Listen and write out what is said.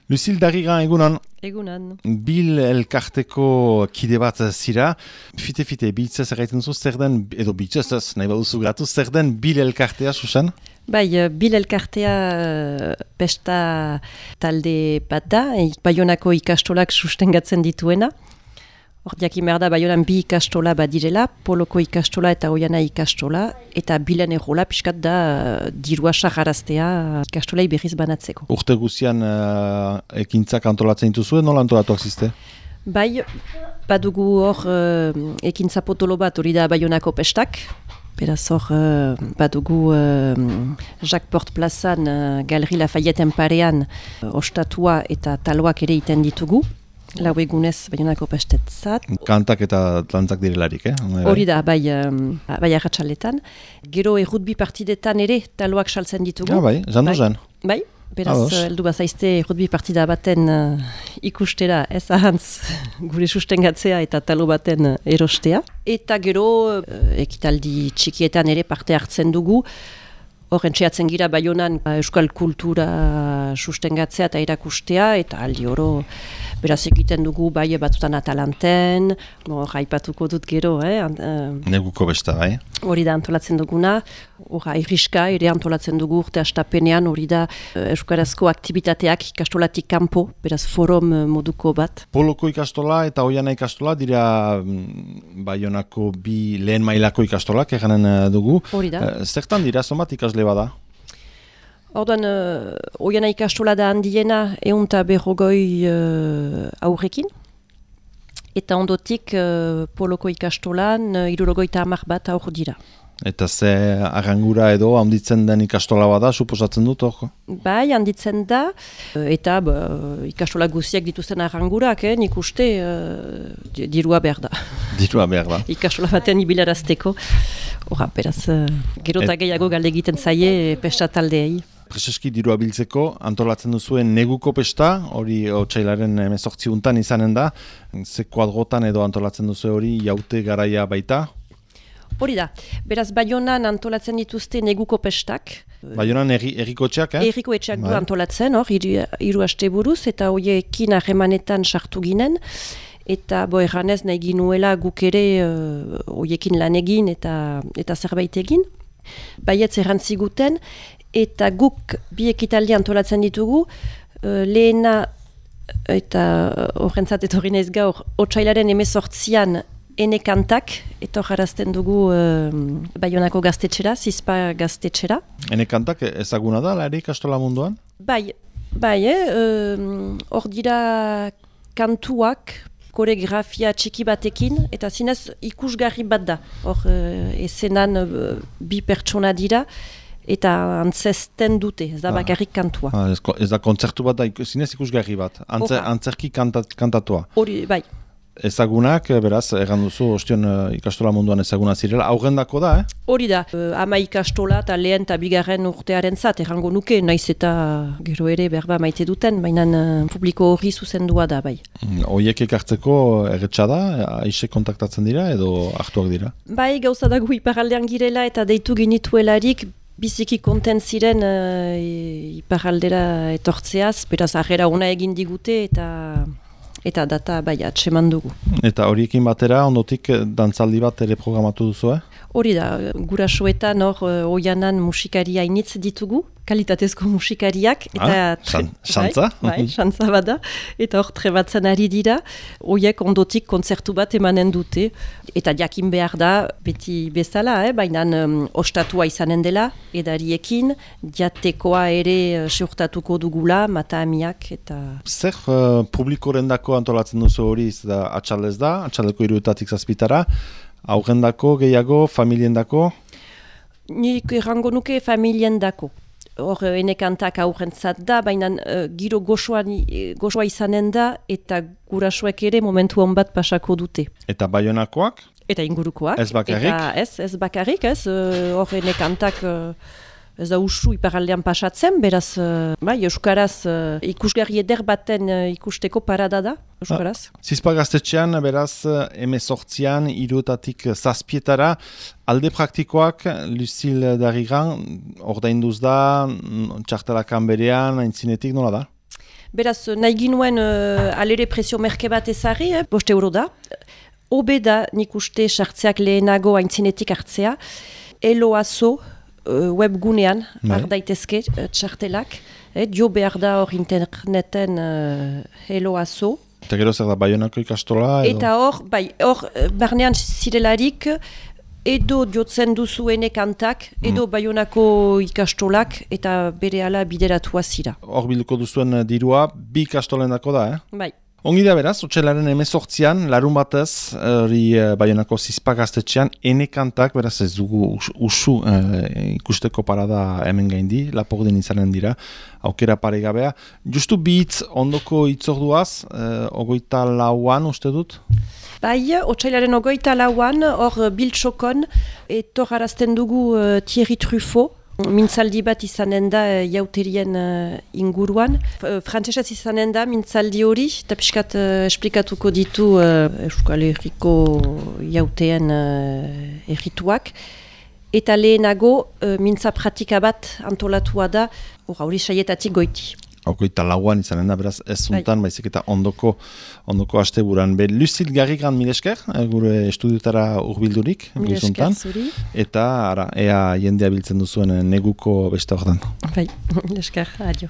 Lucille Darrigan, egunon. Egunan. Bil elkarteko kide bat zira. Fite, bitzaz erraiten duzu, zer den, edo bitzaz, nahi baduzu gratu, zer den bil elkartea, Susan? Bai, bil elkartea pesta talde bat da, Baionako ikastolak sustengatzen dituena. Hor diakin behar da, Baionan bi ikastola badirela, Poloko ikastola eta Oiana ikastola, eta bilen errola pixkat da dirua saharaztea ikastolai berriz banatzeko. Urte guzian ekintzak antolatzen dituzue, nola antolatuak ziste? Bai, badugu hor ekintza potolo bat hori da Baionako pestak, beraz hor badugu Jacques Port plazan Galerie Lafayette parean ostatua eta taloak ere iten ditugu. Lau egunez Baionako pestetzat. Kantak eta dantzak direlarik, Hori da, bai arratsaletan. Gero errutbi partidetan ere taloak saltzen ditugu. Ja, bai, zan. Bai, beraz, heldu bazaizte errutbi partida baten ikustera ez ahantz gure sustengatzea eta talo baten erostea. Eta gero ekitaldi txikietan ere parte hartzen dugu. Horren txeatzen gira Baionan euskal kultura sustengatzea eta erakustea, eta aldi oro beraz egiten dugu bai batzutan Atalanten, aipatuko dut gero, Neguko besta, bai? Hori da antolatzen duguna, irriska ere antolatzen dugu urte astapenean, hori da euskarazko aktivitateak ikastolatik kanpo, beraz forum moduko bat. Poloko ikastola eta Oiana ikastola dira Baionako bi lehen mailako ikastolak eganen dugu. Hori da. Zertan dira, zonbat ikasle bada? Orduan, Oiana ikastola da handiena 150 aurrekin. Eta ondotik Poloko ikastolan 70 bat aur dira. Eta ze arrangura edo handitzen den ikastola bada, suposatzen dut hor? Bai, handitzen da, eta ikastola guziak dituzten arrangurak, nik uste dirua behar da. Dirua behar da. Ikastola baten ibilarazteko. Hora, beraz, gero eta gehiago galde egiten zaie pesta taldeei. Prezeski dirua biltzeko, antolatzen duzuen neguko pesta, hori otsailaren 18 izanen da, ze kuadrotan edo antolatzen duzu hori jaute garaia baita? Hori da, beraz Baionan antolatzen dituzte neguko pestak. Baionan errikotxeak, Erriko etxeak du antolatzen, hor, 3 aste buruz, eta horiekin harremanetan sartu ginen, eta erranez nahi ginuela guk ere horiekin lan egin eta zerbait egin. Baietz errantziguten, eta guk bi ekitaldi antolatzen ditugu, lehena, eta horrentzat etorri naiz gaur, otsailaren 18an ene kantak, eta jarazten dugu Baionako gaztetxera, Zizpa gaztetxera. Ene kantak ezaguna da, ere ikastola munduan? Bai, hor dira kantuak, koreografia txiki batekin, eta zinez ikusgarri bat da. Hor ezenan bi pertsona dira, eta antzesten dute, ez da bakarrik kantua. Ez da kontzertu bat da, zinez ikusgarri bat, antzerki kantatua. Hori, bai. Ezagunak, beraz, erran duzu, ostion ikastola munduan ezaguna zirela, aurrendako da, Hori da, ama ikastola eta lehen eta bigarren urtearen zat, errango nuke, naiz eta gero ere berba maite duten, baina publiko hori zuzendua da, bai. Oiek ekartzeko erretxa da, aise kontaktatzen dira edo hartuak dira? Bai, gauza dago iparaldean girela eta deitu ginituelarik, biziki konten ziren iparaldera etortzeaz, beraz, arrera ona egin digute eta data bai atseman dugu. Eta horiekin batera, ondotik dantzaldi bat ere programatu duzu, Hori da, gurasoetan hor Oianan musikaria initz ditugu, kalitatezko musikariak. Xantza? Bai, xantza bada. Eta hor trebatzen ari dira, hoiek ondotik kontzertu bat emanen dute. Eta jakin behar da, beti bezala, baina ostatua izanen dela, edariekin, jatekoa ere seurtatuko dugula, mata amiak eta... Zer publikoren dako antolatzen duzu hori, atxaldez da, atxaldeko 3 zazpitara, aurrendako, gehiago, familiendako? Nik errango nuke familiendako. Hor, ene kantak aurrentzat da, baina giro gozoa izanen da, eta gurasoek ere momentu hon bat pasako dute. Eta Baionakoak? Eta ingurukoak. Ez bakarrik? Ez bakarrik, hor ene kantak... Ez da usu iparaldean pasatzen, beraz, euskaraz ikusgarri eder baten ikusteko parada da, euskaraz. Zizpa gaztetxean, beraz, 18an, 3 zazpietara, alde praktikoak, Lucille Darrigan, ordainduz da, txartelakan berean, aintzinetik nola da? Beraz, nahi ginuen alere presio merke bat ezarri, 5 euro da. Hobe da nik uste sartzeak lehenago aintzinetik hartzea. Eloazo webgunean har daitezke txartelak. Jo behar da hor interneten Eloazo. Eta gero zer da, Baionako ikastola? Edo? Eta hor barnean zirelarik edo jotzen duzuene kantak, edo Baionako ikastolak eta berehala bideratua zira. Hor bilduko duzuen dirua, bi ikastolen dako da, Bai. Ongi da beraz, otsailaren 18an, larun batez, hori Baionako Zizpa gaztetxean, ene kantak, beraz ez dugu usu ikusteko parada hemen gaindi, Lapordin izanen dira, aukera paregabea. Justu bi hitz ondoko itzorduaz, 24an uste dut? Bai, otsailaren 24an, hor Biltzokon, etorrarazten dugu Thierry Truffaut, mintzaldi bat izanen da jauterien inguruan. Frantsesez izanen da mintzaldi hori, eta pixkat esplikatuko ditu Euskal Herriko jauteen errituak. Eta lehenago mintza pratika bat antolatua da hori saietatik goiti. 24an izanen da, beraz ez zuntan, baizik eta ondoko asteburan. Lucille Garrigan milesker, gure estudiotara urbildurik. Milesker zuri. Eta ea jendea biltzen duzuen neguko beste horretan. Bai, milesker, adio.